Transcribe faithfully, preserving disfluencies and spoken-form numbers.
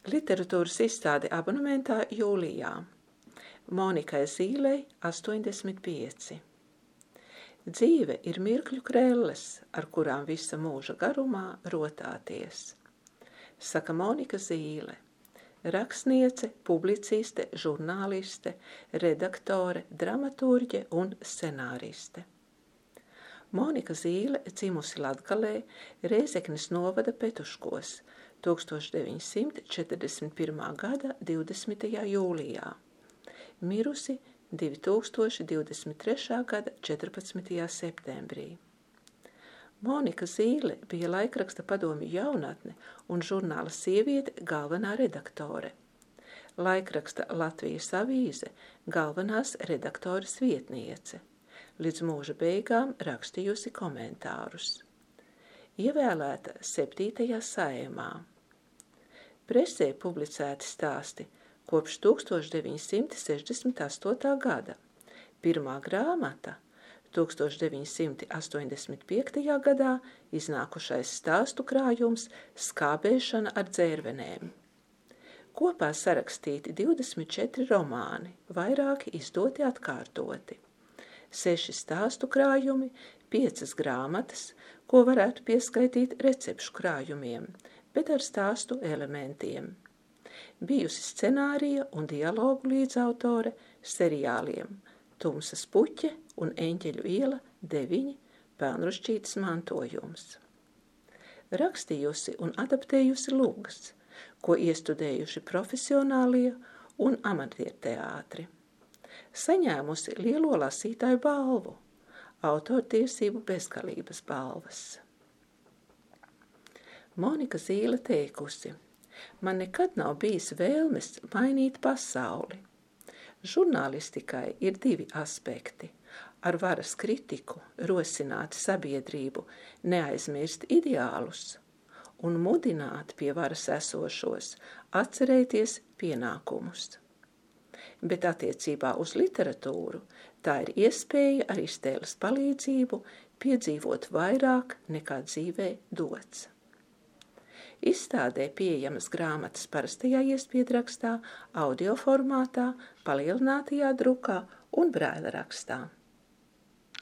Literatūras izstāde abonementā jūlijā. Monikai Zīlei astoņdesmit pieci. Dzīve ir mirkļu krelles, ar kurām visa mūža garumā rotāties. Saka Monika Zīle, rakstniece, publiciste, žurnāliste, redaktore, dramaturģe un scenāriste. Monika Zīle dzimusi Latgalē, Rēzeknes novada Petuškos, tūkstoš deviņsimt četrdesmit pirmā gada divdesmitajā jūlijā, mirusi divi tūkstoši divdesmit trešā gada četrpadsmitajā septembrī. Monika Zīle bija laikraksta Padomju jaunatne un žurnāla Sieviete galvenā redaktore. Laikraksta Latvijas avīze galvenās redaktoras vietniece. Līdz mūža beigām rakstījusi komentārus. Ievēlēta septītajā saeimā. Presē publicēti stāsti kopš tūkstoš deviņsimt sešdesmit astotā gada. Pirmā grāmata tūkstoš deviņsimt astoņdesmit piektajā gadā iznākušais stāstu krājums Skābēšana ar dzērvenēm. Kopā sarakstīti divdesmit četri romāni, vairāki izdoti atkārtoti. Seši stāstu krājumi, piecas grāmatas, ko varētu pieskaitīt recepšu krājumiem, bet ar stāstu elementiem. Bijusi scenārija un dialogu līdzautore seriāliem Tumsas puķe un Eņģeļu iela deviņi Pelnrušķītes mantojums. Rakstījusi un adaptējusi lugas, ko iestudējuši profesionālie un amatierteātri. Saņēmusi lielo lasītāju balvu, autortiesību bezgalības balvas. Monika Zīle teikusi, man nekad nav bijis vēlmes mainīt pasauli. Žurnālistikai ir divi aspekti – ar varas kritiku rosināt sabiedrību, neaizmirst ideālus un mudināt pie varas esošos, atcerēties pienākumus. Bet attiecībā uz literatūru tā ir iespēja ar iztēles palīdzību piedzīvot vairāk nekā dzīvē dots. Izstādē pieejamas grāmatas parastajā iespiedrakstā, audio formātā, palielinātajā drukā un brēlerakstā.